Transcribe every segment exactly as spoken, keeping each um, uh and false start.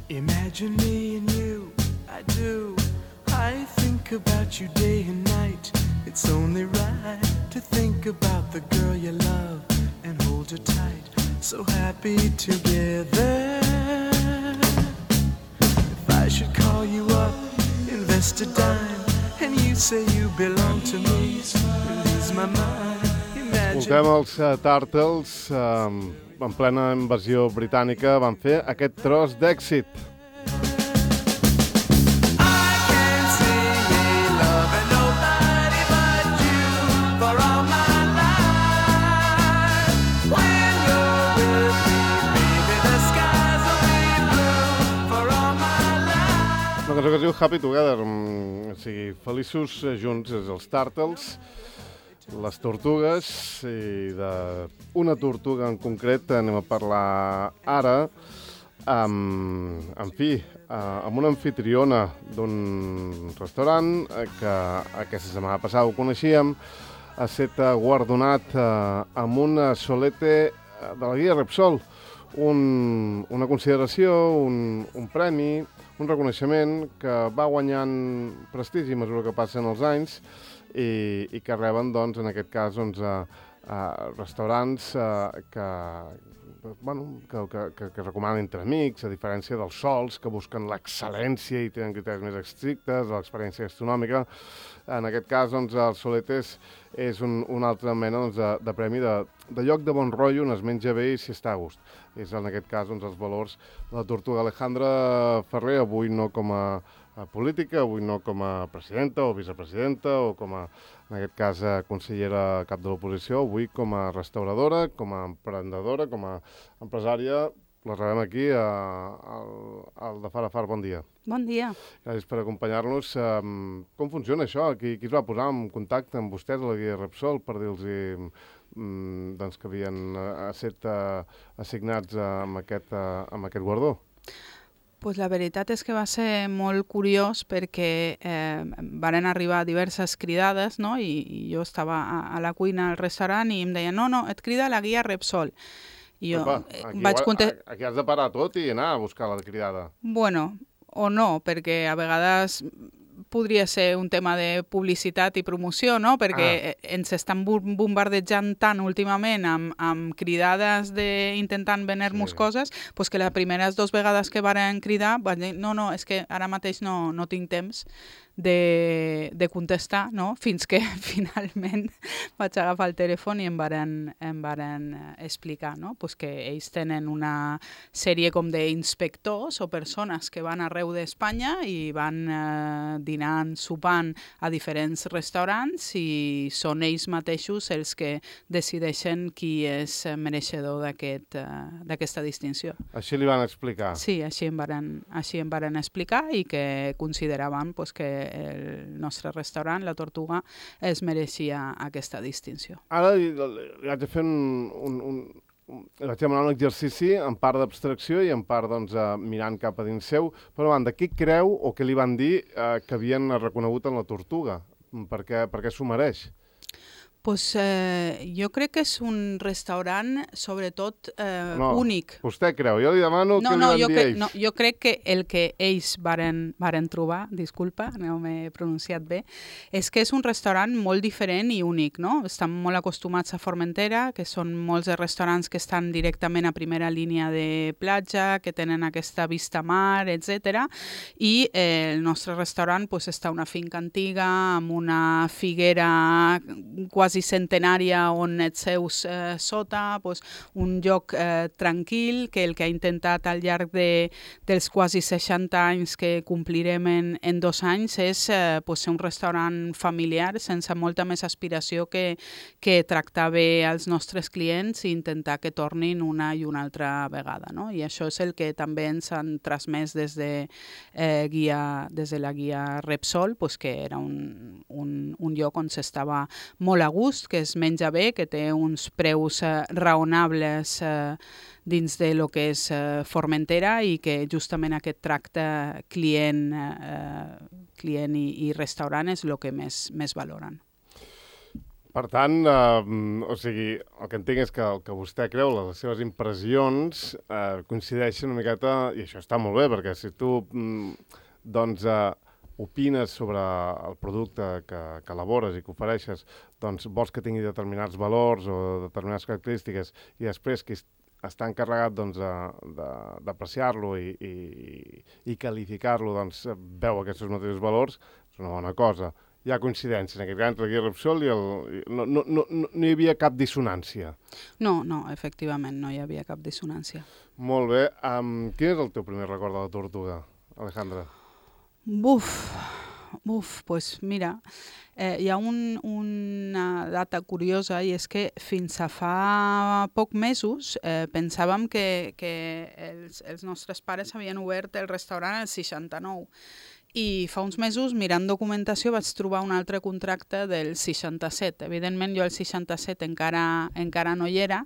Imagine me and you, I do. I think about you day and night. It's only right to think about the girl you love and hold her tight. So happy together. If I should call you up, invest a dime, and you say you belong to me, release my mind. Escoltem els uh, Turtles, um, en plena invasió britànica, van fer aquest tros d'èxit. Una cançó que es diu Happy Together, o sigui, feliços junts, és els Turtles, les tortugues, i d'una tortuga en concret anem a parlar ara, amb, en fi, amb una anfitriona d'un restaurant que aquesta setmana passada ho coneixíem, ha estat guardonat amb un solete de la guia Repsol, un, una consideració, un, un premi, un reconeixement que va guanyant prestigi a mesura que passen els anys i, i que reben, doncs, en aquest cas, doncs, a, a restaurants a, que, bueno, que, que, que recomanen entre amics, a diferència dels sols, que busquen l'excel·lència i tenen criteris més estrictes, l'experiència gastronòmica. En aquest cas, doncs, el Soletes és un, una altra mena, doncs, de, de premi de, de lloc de bon rotllo, on es menja bé i s'hi està a gust. És, en aquest cas, doncs, els valors de la tortuga Alejandra Ferrer, avui no com a, a política, avui no com a presidenta o vicepresidenta o com a, en aquest cas, a consellera cap de l'oposició, avui com a restauradora, com a emprendedora, com a empresària. La rebem aquí, al, al de Far a Far. Bon dia. Bon dia. Gràcies per acompanyar-nos. Um, com funciona això? Qui, qui es va posar en contacte amb vostès a la guia Repsol per dir-los um, doncs, que havien estat uh, assignats uh, amb, aquest, uh, amb aquest guardó? Pues la veritat és que va ser molt curiós perquè eh, varen arribar diverses cridades, no? I, i jo estava a, a la cuina al restaurant i em deien no, no, et crida la guia Repsol. I jo Opa, aquí, vaig contestar... Aquí has de parar tot i anar a buscar la cridada. Bueno, o no, perquè a vegades podria ser un tema de publicitat i promoció, no? Perquè ah. ens estan bombardejant tant últimament amb, amb cridades de intentant vendre-nos sí. coses, pues que les primeres dues vegades que varen cridar van dir, no, no, és que ara mateix no, no tinc temps de, de contestar, no? Fins que finalment vaig agafar el telèfon i em varen, em varen explicar, no? Pues que ells tenen una sèrie com d'inspectors o persones que van arreu d'Espanya i van eh, dinant, sopant a diferents restaurants i són ells mateixos els que decideixen qui és mereixedor d'aquest, uh, d'aquesta distinció. Així li van explicar? Sí, així em varen, així em varen explicar i que consideraven pues, que el nostre restaurant, La Tortuga, es mereixia aquesta distinció. Ara li, li vaig a fer un... un, un vaig demanar un exercici en part d'abstracció i en part doncs, uh, mirant cap a dins seu. Però, banda, qui creu o què li van dir uh, que havien reconegut en La Tortuga? Per què, per què s'ho mereix? Pues, eh, jo crec que és un restaurant, sobretot, eh, no, únic. Vostè creu? Jo li demano no, què no, li van jo dir crec, ells. No, jo crec que el que ells varen, varen trobar, disculpa, no m'he pronunciat bé, és que és un restaurant molt diferent i únic, no? Estan molt acostumats a Formentera, que són molts de restaurants que estan directament a primera línia de platja, que tenen aquesta vista mar, etcètera. I eh, el nostre restaurant pues, està a una finca antiga, amb una figuera quasi centenària on et seus eh, sota, pues, un lloc eh, tranquil que el que ha intentat al llarg de, dels quasi seixanta anys que complirem en, en dos anys és eh, pues, ser un restaurant familiar sense molta més aspiració que, que tractar bé als nostres clients i intentar que tornin una i una altra vegada. No? I això és el que també ens han transmès des de, eh, guia, des de la guia Repsol, pues, que era un, un, un lloc on s'estava molt a gust, que es menja bé, que té uns preus eh, raonables eh, dins de lo que és eh, Formentera i que justament aquest tracte client, eh, client i, i restaurant és el que més, més valoren. Per tant, eh, o sigui, el que entenc és que el que vostè creu, les seves impressions, eh, coincideixen una miqueta, i això està molt bé, perquè si tu mm, doncs, eh, opines sobre el producte que, que elabores i que ofereixes, doncs vols que tingui determinats valors o determinades característiques, i després que està encarregat doncs, d'apreciar-lo i, i, i qualificar-lo, doncs, veu aquests mateixos valors, és una bona cosa. Hi ha coincidència en aquest cas entre el Repsol i el... No, no, no, no hi havia cap dissonància. No, no, efectivament, no hi havia cap dissonància. Molt bé. Um, quin és el teu primer record de la tortuga, Alejandra? Buf, buf, pues mira, eh, hi ha un, una data curiosa i és que fins a fa poc mesos eh, pensàvem que, que els, els nostres pares havien obert el restaurant al seixanta-nou. I fa uns mesos, mirant documentació, vaig trobar un altre contracte del seixanta-set. Evidentment, jo el seixanta-set encara, encara no hi era,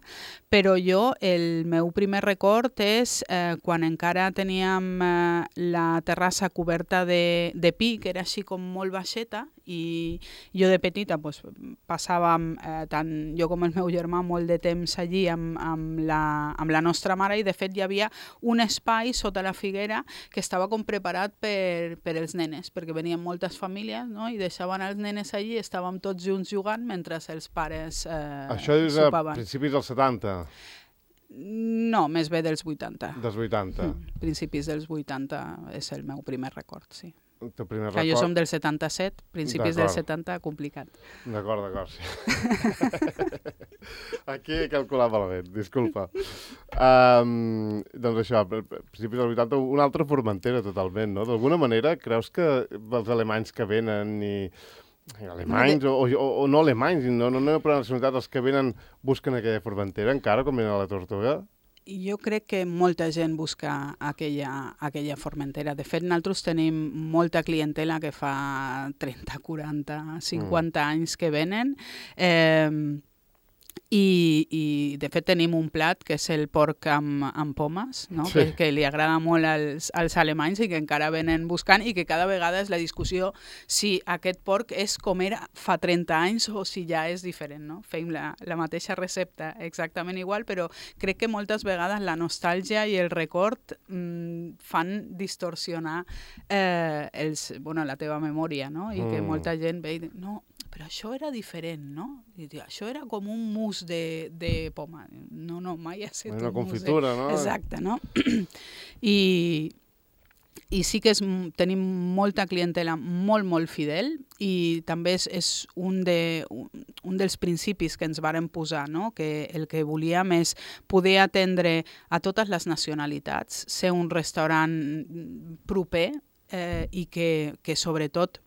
però jo, el meu primer record és eh, quan encara teníem eh, la terrassa coberta de, de pi, que era així com molt baixeta, i jo de petita pues, passàvem, eh, tant jo com el meu germà, molt de temps allí amb, amb, la, amb la nostra mare, i de fet hi havia un espai sota la figuera que estava com preparat per, per els nenes, perquè venien moltes famílies, no? I deixaven els nenes allí, estàvem tots junts jugant mentre els pares eh, Això és sopaven. a principis dels setanta? No, més bé dels vuitanta. Dels vuitanta. Mm, principis dels vuitanta és el meu primer record, sí. El teu primer que record... jo som del setanta-set, principis del setanta, complicat. D'acord, d'acord, sí. Aquí he calculat malament, disculpa. Um, doncs això, a principis del vuitanta, una altra Formentera totalment, no? D'alguna manera, creus que els alemanys que venen i... alemanys o, o, o no alemanys, no, no, no per nacionalitat, els que venen busquen aquella Formentera encara, com venen a la Tortuga? Jo crec que molta gent busca aquella, aquella Formentera. De fet, nosaltres tenim molta clientela que fa trenta, quaranta, cinquanta mm. anys que venen. Eh, I, i de fet tenim un plat que és el porc amb, amb pomes, no? Sí. que, que li agrada molt als, als alemanys i que encara venen buscant, i que cada vegada és la discussió si aquest porc és com era fa trenta anys o si ja és diferent. No? Feim la, la mateixa recepta exactament igual, però crec que moltes vegades la nostàlgia i el record mm, fan distorsionar eh, els, bueno, la teva memòria, no? I mm. que molta gent ve i diu, no, però això era diferent, no? I diu, això era com un mousse de, de poma. No, no, mai ha estat una un confitura, de... no? Exacte, no? I, i sí que és, tenim molta clientela molt, molt fidel, i també és, és un, de, un, un dels principis que ens varen posar, no? Que el que volíem és poder atendre a totes les nacionalitats, ser un restaurant proper eh, i que, que sobretot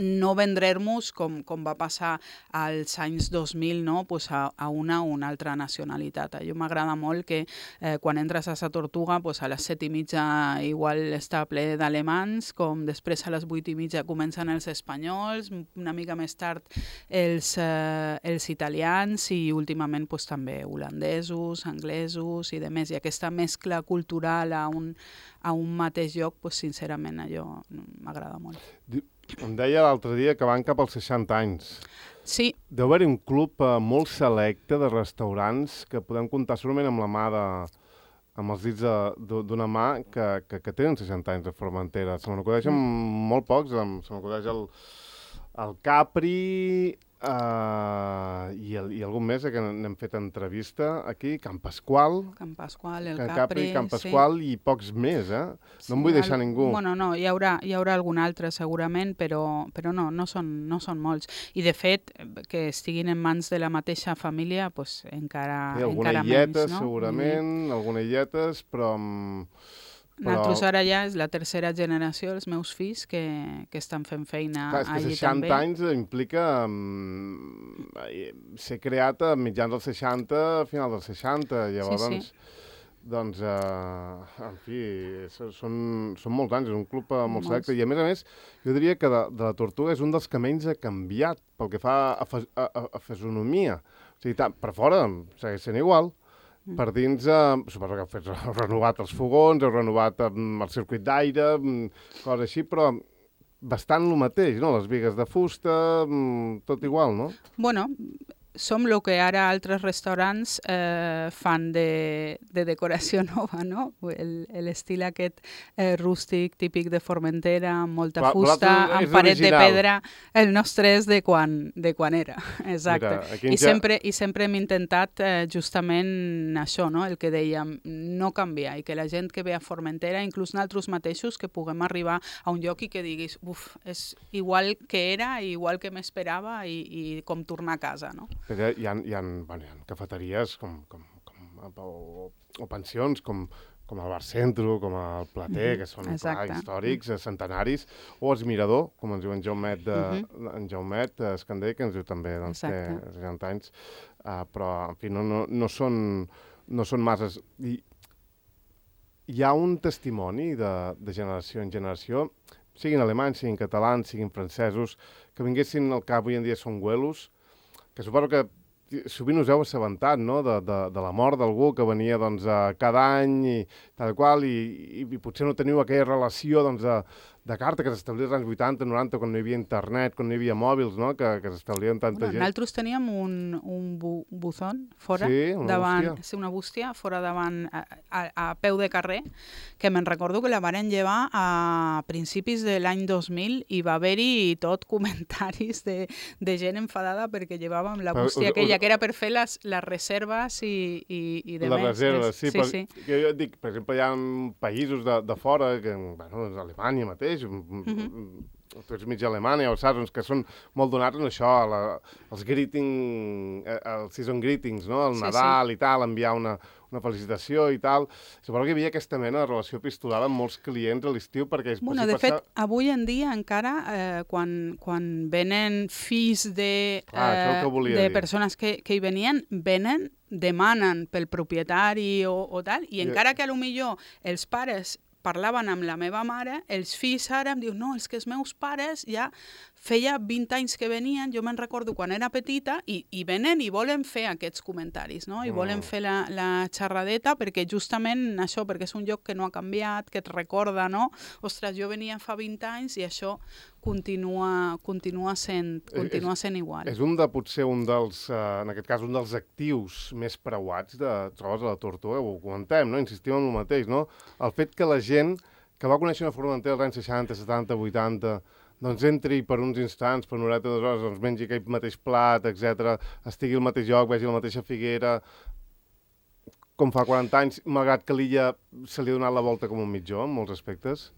no vendre-nos, com, com va passar als anys dos mil, no? Pues a, a una o una altra nacionalitat. A mi m'agrada molt que eh, quan entres a Sa Tortuga, pues a les set i mitja igual està ple d'alemans, com després a les vuit i mitja comencen els espanyols, una mica més tard els, eh, els italians, i últimament pues, també holandesos, anglesos i demés. I aquesta mescla cultural a un, a un mateix lloc, pues, sincerament, allò m'agrada molt. Em deia l'altre dia que van cap als seixanta anys. Sí. Deu haver-hi un club eh, molt selecte de restaurants que podem comptar solament amb la mà de... amb els dits d'una mà que, que, que tenen seixanta anys de Formentera. Se m'acudeixen mm. molt pocs, se m'acudeix el, el Capri uh, i, el, i algun més que n'hem fet entrevista aquí, Can Pasqual. Can Pasqual, el Can Capri, Capri, Can Pasqual sí. I pocs més, eh? No sí, em vull deixar el, ningú. Bueno, no, hi haurà, hi haurà algun altre segurament, però, però no, no són, no són molts. I de fet, que estiguin en mans de la mateixa família, pues, encara, sí, encara illetes, menys, no? Segurament, I... alguna illetes, però... Però... Nosaltres ara ja és la tercera generació, els meus fills, que, que estan fent feina clar, és que allí seixanta també. anys implica um, ser creat a mitjans dels seixanta, a final dels seixanta. Llavors, sí, sí. doncs, uh, en fi, són, són molts anys, és un club uh, molt selecte. I a més a més, jo diria que de, de la Tortuga és un dels que menys ha canviat pel que fa a, a, a, a fisonomia. O sigui, tant, per fora segueix sent igual. Per dins, eh, suposo que heu, heu renovat els fogons, heu renovat eh, el circuit d'aire, coses així, però bastant el mateix, no? Les bigues de fusta, tot igual, no? Bueno, som el que ara altres restaurants eh, fan de, de decoració nova, no? L'estil aquest eh, rústic, típic de Formentera, amb molta Però, fusta, amb paret original. de pedra. El nostre és de quan, de quan era, exacte. Mira, I, ja... sempre, I sempre hem intentat eh, justament això, no? El que dèiem, no canviar, i que la gent que ve a Formentera, inclús nosaltres mateixos, que puguem arribar a un lloc i que diguis, uf, és igual que era, igual que m'esperava i, i com tornar a casa, no? Perquè hi ha, hi ha, bueno, hi ha cafeteries com, com, com, o, o pensions com, com el Bar Centro, com el Plater, que són clar, històrics, centenaris, o els Mirador, com ens diu en Jaumet, de, uh-huh. en Jaumet Escandell, que ens diu també doncs, que seixanta anys, uh, però en fi, no, no, no, són, no són masses. I, hi ha un testimoni de, de generació en generació, siguin alemanys, siguin catalans, siguin francesos, que vinguessin al cap avui en dia són güelos, que suposo que sovint us heu assabentat, no?, de, de, de la mort d'algú que venia doncs, a cada any i tal qual, i, i, i potser no teniu aquella relació doncs, de, de carta que s'establia als anys vuitanta, noranta, quan no hi havia internet, quan no hi havia mòbils, no?, que, que s'establien tanta bueno, gent. Nosaltres teníem un, un bu buzón fora, sí, una davant, bústia. Sí, una bústia, fora davant, a, a, a peu de carrer, que me'n recordo que la varen llevar a principis de l'any dos mil i va haver-hi tot comentaris de, de gent enfadada perquè llevàvem la bústia aquella, que era per fer les, les reserves i, i, i de les més. reserves, sí, sí, però sí. Jo, jo dic, per exemple, hi ha països de, de fora, que, bueno, doncs Alemanya mateix, Mm-hmm. tu ets mig Alemanya o saps, que són molt donats en això, a la, els greeting, els season greetings, no? El sí, Nadal sí. i tal, enviar una, una felicitació i tal. Suposo que hi havia aquesta mena de relació epistolar amb molts clients a l'estiu, perquè... Bueno, de fet, avui en dia encara, eh, quan, quan venen fills de, Clar, eh, que de dir. persones que, que hi venien, venen, demanen pel propietari o, o tal, i encara que a lo millor els pares parlaven amb la meva mare, els fills ara em diuen, no, és que els meus pares ja feia vint anys que venien, jo me'n recordo quan era petita, i, i venen i volen fer aquests comentaris, no? I volen fer la, la xerradeta perquè justament això, perquè és un lloc que no ha canviat, que et recorda, no? Ostres, jo venia fa vint anys i això continua, continua, sent, continua sent igual. És un de, potser, un dels, uh, en aquest cas, un dels actius més preuats de trobes a la Tortuga, ho comentem, no? Insistim en el mateix, no? El fet que la gent que va conèixer una Formentera als anys seixanta, setanta, vuitanta, doncs entri per uns instants, per una horeta, dues hores, doncs mengi aquell mateix plat, etcètera, estigui al mateix lloc, vegi la mateixa figuera, com fa quaranta anys, malgrat que l'illa se li ha donat la volta com un mitjó, en molts aspectes.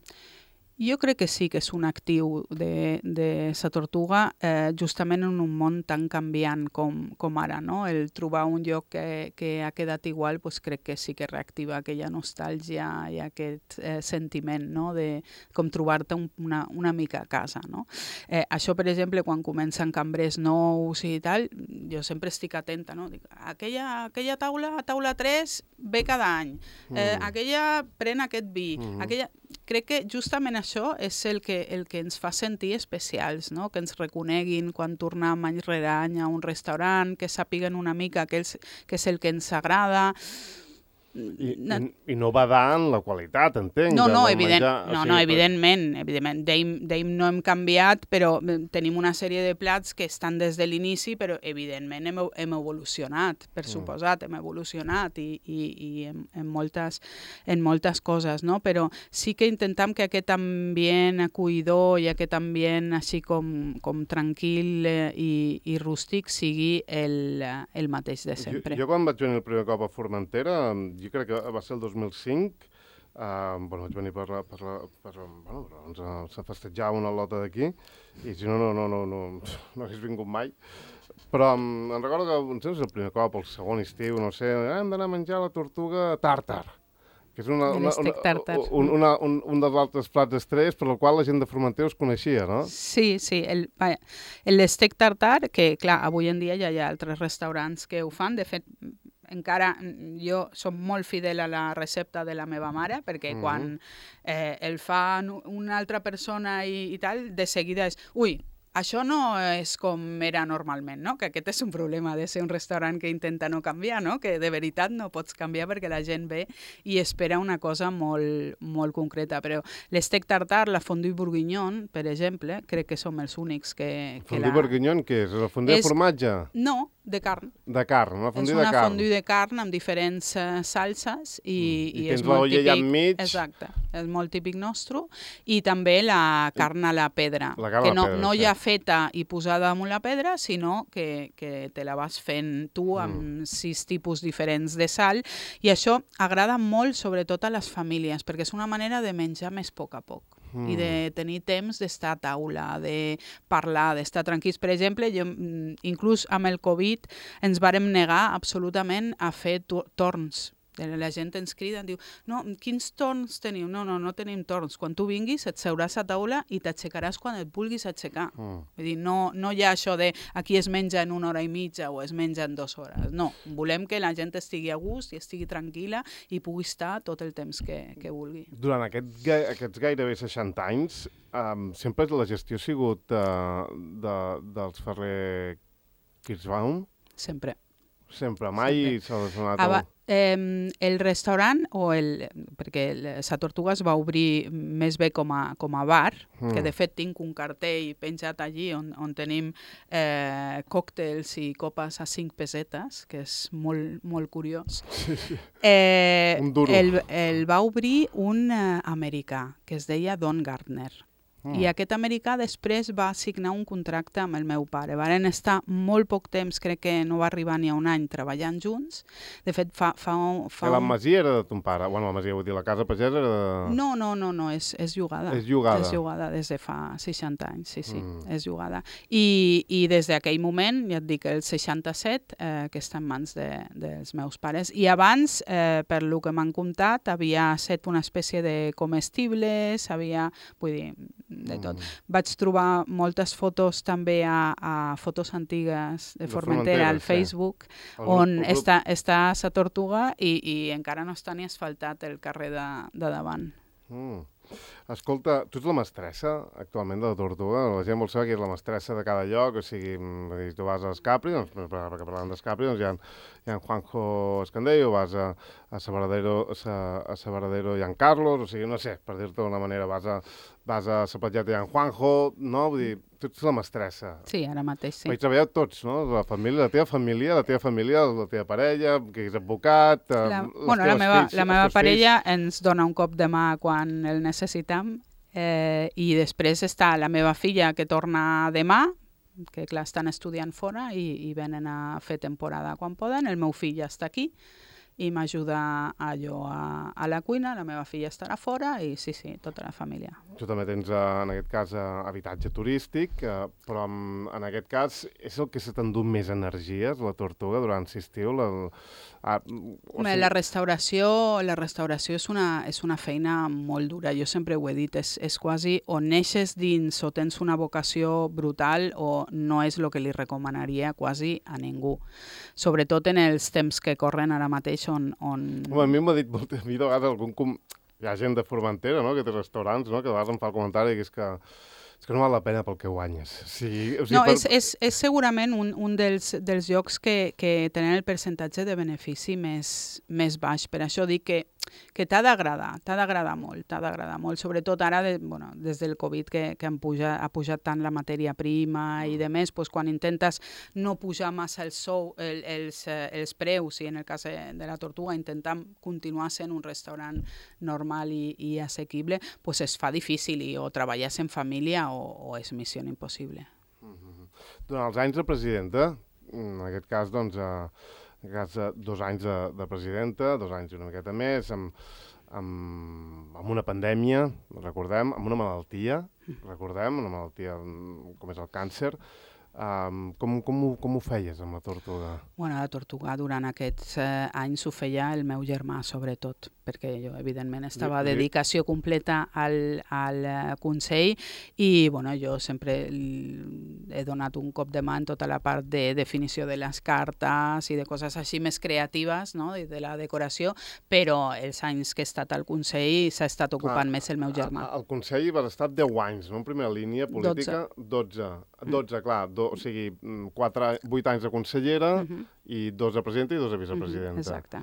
Jo crec que sí que és un actiu de, de sa Tortuga, eh, justament en un món tan canviant com, com ara, no? El trobar un lloc que, que ha quedat igual, pues crec que sí que reactiva aquella nostàlgia i aquest eh, sentiment, no? De com trobar-te un, una, una mica a casa, no? Eh, això, per exemple, quan comencen cambrers nous i tal, jo sempre estic atenta, no? Dic, aquella, aquella taula, taula tres, ve cada any. Eh, mm. Aquella pren aquest vi. Mm. Aquella... Crec que justament això és el que, el que ens fa sentir especials, no? Que ens reconeguin quan tornem any rere any a un restaurant, que sàpiguen una mica que és, que és el que ens agrada. I, i, I no badar en la qualitat, entenc. No, no, de, evident, menjar, no, o sigui, no, evidentment. evidentment. D'Aim no hem canviat, però tenim una sèrie de plats que estan des de l'inici, però evidentment hem, hem evolucionat, per suposat, hem evolucionat i, i, i en, en, moltes, en moltes coses, no? Però sí que intentem que aquest ambient acollidor i aquest ambient així com, com tranquil eh, i, i rústic sigui el, el mateix de sempre. Jo, jo quan vaig venir el primer cop a Formentera, jo crec que va ser el dos mil cinc, uh, bueno, vaig venir per, per, per, bueno, doncs, uh, se festejava una lota d'aquí, i si no, no, no, no, no, no hagués vingut mai. Però um, em recordo que, no sé si és el primer cop, el segon estiu, no sé, eh, hem d'anar a menjar la tortuga tàrtar, que és una, una, una, un, una, un, un dels altres plats estrells per el qual la gent de Formentera us coneixia, no? Sí, sí. El, l'estec tartar, que clar, avui en dia ja hi ha altres restaurants que ho fan, de fet, encara jo soc molt fidel a la recepta de la meva mare, perquè mm-hmm. quan eh, el fa una altra persona i, i tal, de seguida és, ui, això no és com era normalment, no? Que aquest és un problema de ser un restaurant que intenta no canviar, no? Que de veritat no pots canviar perquè la gent ve i espera una cosa molt, molt concreta. Però l'estec tartar, la fondue bourguignon, per exemple, crec que som els únics que... que fondue la... bourguignon, què és? La fondue És... de formatge? No, de carn. De carn, una fondue de carn. És una fondue de carn amb diferents uh, salses i, mm. I, i tens és molt l'olla típic. Allà enmig. Exacte, és molt típic nostre. I també la carn a la pedra, la carn que a la no, pedra, no sí. ja feta i posada damunt la pedra, sinó que, que te la vas fent tu amb mm. sis tipus diferents de sal. I això agrada molt, sobretot a les famílies, perquè és una manera de menjar més a poc a poc. Mm. I de tenir temps d'estar a taula, de parlar, d'estar tranquils. Per exemple, jo, inclús amb el Covid ens vàrem negar absolutament a fer torns. La gent ens crida, diu, no, quins torns teniu? No, no, no tenim torns. Quan tu vinguis et seuràs a taula i t'aixecaràs quan et vulguis aixecar. Mm. Vull dir, no, no hi ha això de aquí es menja en una hora i mitja o es menja en dues hores. No, volem que la gent estigui a gust i estigui tranquil·la i pugui estar tot el temps que, que vulgui. Durant aquest, aquests gairebé seixanta anys, um, sempre la gestió ha sigut uh, de, dels Ferrer Kirschbaum? Sempre. Sempre, mai s'ha donat... Aba, eh, el restaurant, o el, perquè Sa Tortuga es va obrir més bé com a, com a bar, mm. que de fet tinc un cartell penjat allí on, on tenim eh, còctels i copes a cinc pesetes, que és molt, molt curiós. Sí, sí. Eh, un duro. El, el va obrir un eh, americà, que es deia Don Gardner. Mm. I aquest americà després va signar un contracte amb el meu pare. Varen estar molt poc temps, crec que no va arribar ni a un any, treballant junts. De fet, fa, fa, fa la un... masia era de ton pare? Bueno, la masia, vull dir, la casa pagesa era de... No, no, no, no és, és llogada. És llogada. És llogada des de fa seixanta anys, sí, sí, mm. és llogada. I, i des d'aquell moment, ja et dic, el seixanta-set, eh, que està en mans de, dels meus pares. I abans, eh, per lo que m'han contat, havia set una espècie de comestibles, havia, vull dir, de tot. Mm. Vaig trobar moltes fotos també a, a fotos antigues de, de Formentera al Facebook, sí. on el, el està, està Sa Tortuga i, i encara no està ni asfaltat el carrer de, de davant. Mm. Escolta, tu ets la mestressa actualment de la Tortuga? La gent vol saber qui és la mestressa de cada lloc, o sigui, tu vas a Escapri, doncs, perquè parlant d'Escapri, doncs hi ha, hi ha en Juanjo Escandell, o vas a, a Sabaradero, a, a Sabaradero i en Carlos, o sigui, no sé, per dir-te d'una manera, vas a, vas a Sa Platgeta i en Juanjo, no? Vull dir, tu ets la mestressa. Sí, ara mateix sí. Vaig treballar tots, no? La família, la teva família, la teva família, la teva parella, que és advocat... La, bueno, la meva, fills, la meva parella fills. Ens dona un cop de mà quan el necessitam, eh, i després està la meva filla que torna demà, que clar, estan estudiant fora i, i venen a fer temporada quan poden. El meu fill ja està aquí i m'ajuda allò a, a la cuina, la meva filla estarà fora i sí, sí, tota la família. Tu també tens, en aquest cas, habitatge turístic, però en aquest cas és el que se t'endú més energies, la Tortuga, durant l'estiu? La, ah, o sigui... la restauració, la restauració és una, és una feina molt dura, jo sempre ho he dit, és, és quasi o neixes dins o tens una vocació brutal o no és el que li recomanaria quasi a ningú. Sobretot en els temps que corren ara mateix on... on... Home, a mi m'ha dit molt, a mi de vegades algun... Com... Hi ha gent de Formentera, no?, que té restaurants, no?, que de vegades em fa el comentari que és que, és que no val la pena pel que guanyes. O sigui, o sigui, no, per... és, és, és segurament un, un dels, dels llocs que, que tenen el percentatge de benefici més, més baix. Per això dic que que t'ha d'agradar, t'ha d'agradar molt, t'ha d'agradar molt, sobretot ara, de, bueno, des del Covid, que, que han puja, ha pujat tant la matèria prima i de més, doncs quan intentes no pujar massa el sou, el, els, els preus, i en el cas de la Tortuga intentam continuar sent un restaurant normal i, i assequible, doncs es fa difícil, i o treballes en família o, o és missió impossible. Mm-hmm. Durant els anys de presidenta, en aquest cas, doncs, eh, en aquest cas, dos anys de, de presidenta, dos anys i una miqueta més, amb, amb, amb una pandèmia, recordem, amb una malaltia, recordem, una malaltia com és el càncer. Um, com, com, ho, com ho feies amb la Tortuga? Bueno, la Tortuga durant aquests eh, anys ho feia el meu germà, sobretot, perquè jo, evidentment, estava a dedicació completa al, al Consell i, bueno, jo sempre he donat un cop de mà en tota la part de definició de les cartes i de coses així més creatives, no?, de la decoració, però els anys que he estat al Consell s'ha estat ocupant ah, més el meu germà. Al Consell vas estar deu anys, no?, en primera línia política, dotze. dotze, clar, do, o sigui, quatre, vuit anys de consellera uh -huh. i dos de presidenta i dos de vicepresidenta. Uh -huh. Exacte.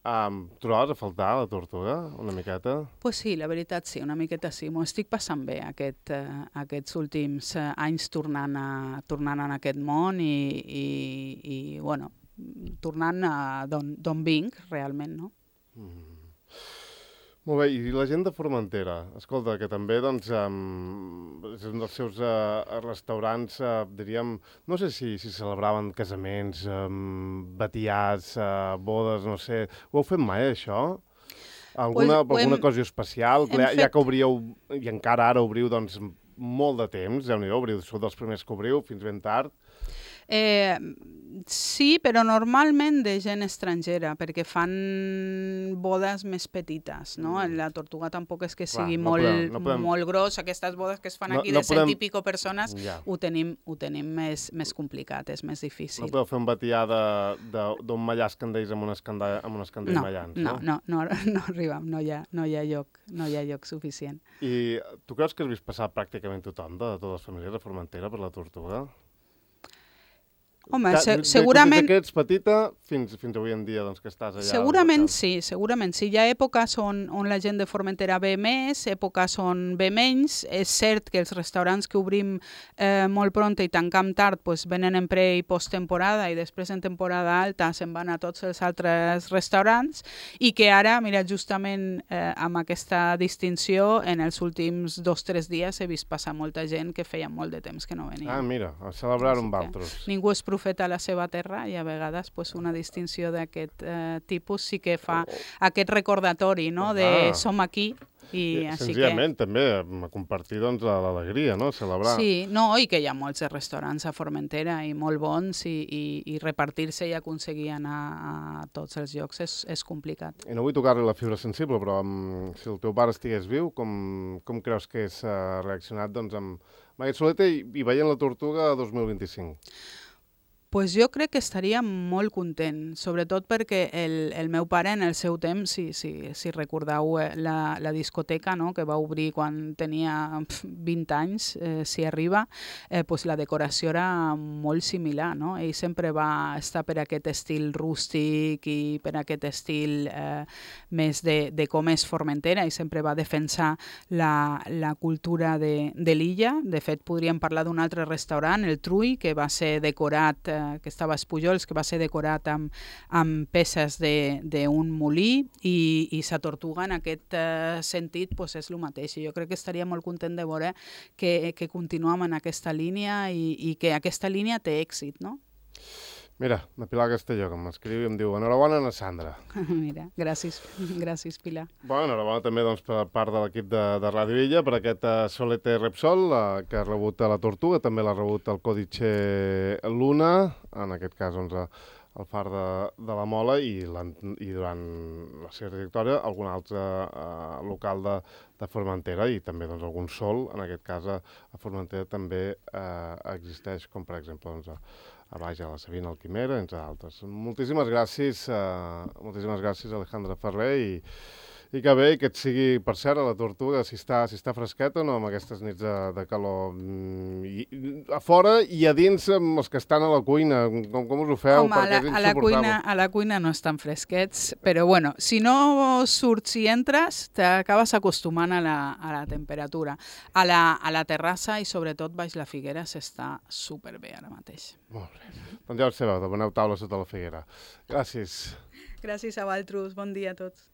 Um, trobaves a faltar la tortuga, una miqueta? Pues sí, la veritat sí, una miqueta sí. M'ho estic passant bé aquest, eh, aquests últims eh, anys tornant, a, tornant en aquest món i, i, i bueno, tornant a d'on vinc, realment, no? Mm. Molt bé, i la gent de Formentera, escolta, que també, doncs, um, és un dels seus uh, restaurants, uh, diríem, no sé si, si celebraven casaments, um, batiats, uh, bodes, no sé, ho heu fet mai, això? Alguna, pues alguna hem, cosa especial? Ja, fet... ja que obríeu, i encara ara obriu, doncs, molt de temps, ja n'hi obriu, sou dels primers que obriu, fins ben tard. Eh, sí, però normalment de gent estrangera, perquè fan bodes més petites, no? Mm. La tortuga tampoc és que sigui Clar, no molt, podem, no podem... molt gros. Aquestes bodes que es fan no, aquí de no cent podem... i pico persones, ja. ho tenim, ho tenim més, més complicat, és més difícil. No podeu fer un batià d'un mallar escandeix amb un escandell, amb un escandell no, mallans, no? No, no, no, no arribem, no hi ha, no hi ha lloc, no hi ha lloc suficient. I tu creus que has vist passar pràcticament tothom de totes les famílies de Formentera per la tortuga? Home, se segurament... Des que ets petita fins, fins avui en dia, doncs, que estàs allà... Segurament sí, segurament sí. Hi ha èpoques on, on la gent de Formentera ve més, èpoques on ve menys. És cert que els restaurants que obrim eh, molt pront i tancam tard pues, venen en pre- i posttemporada i després en temporada alta se'n van a tots els altres restaurants i que ara, mira, justament eh, amb aquesta distinció, en els últims dos o tres dies he vist passar molta gent que feia molt de temps que no venia. Ah, mira, a celebrar amb altres. Ningú és profeta a la seva terra i a vegades pues, una distinció d'aquest eh, tipus sí que fa oh. aquest recordatori, no? de ah. som aquí. I així Senzillament, que... també, a compartir doncs, l'alegria, no? Celebrar. Sí, no, i que hi ha molts restaurants a Formentera i molt bons i, i, i repartir-se i aconseguir anar a tots els llocs és, és complicat. I no vull tocar-li la fibra sensible, però um, si el teu pare estigués viu, com, com creus que és uh, reaccionat doncs, amb, amb aquest soleta i, i veient la tortuga dos mil vint-i-cinc? Pues jo crec que estaria molt content, sobretot perquè el, el meu pare en el seu temps, si, si, si recordeu la, la discoteca, no?, que va obrir quan tenia vint anys, eh, si arriba, eh, pues la decoració era molt similar, no? Ell sempre va estar per aquest estil rústic i per aquest estil eh, més de, de com és Formentera i sempre va defensar la, la cultura de, de l'illa. De fet, podríem parlar d'un altre restaurant, el Trui, que va ser decorat eh, que estava a Espujols, que va ser decorat amb, amb peces d'un molí i, i sa tortuga en aquest uh, sentit pues, és el mateix. I jo crec que estaria molt content de veure que, que continuem en aquesta línia i, i que aquesta línia té èxit, no? Mira, la Pilar Castelló, que m'escriu i em diu enhorabona a Sandra. Mira, gràcies, gràcies Pilar. Bueno, enhorabona també doncs, per part de l'equip de, de Ràdio Illa per aquest uh, Solete Repsol, uh, que ha rebut a la Tortuga, també l'ha rebut el Còdice Luna, en aquest cas doncs, el far de, de la Mola i, i durant la seva trajectòria algun altre uh, local de, de Formentera i també doncs, algun sol, en aquest cas a, a Formentera també uh, existeix, com per exemple doncs, a, a baix a la Sabina, al Quimera, entre altres. Moltíssimes gràcies, uh, moltíssimes gràcies Alejandra Ferrer i, i que bé, que et sigui, per cert, a la Tortuga, si està, si està fresqueta o no, amb aquestes nits de, de calor. I, a fora i a dins, amb els que estan a la cuina, com, com us ho feu? Home, a la, a, la cuina, a la cuina no estan fresquets, però bueno, si no surts i entres, t'acabes acostumant a la, a la temperatura. A la, a la terrassa i sobretot baix la Figuera s'està superbé ara mateix. Molt bé. Doncs ja ho sabeu, demaneu taula sota la Figuera. Gràcies. Gràcies a vosaltres, bon dia a tots.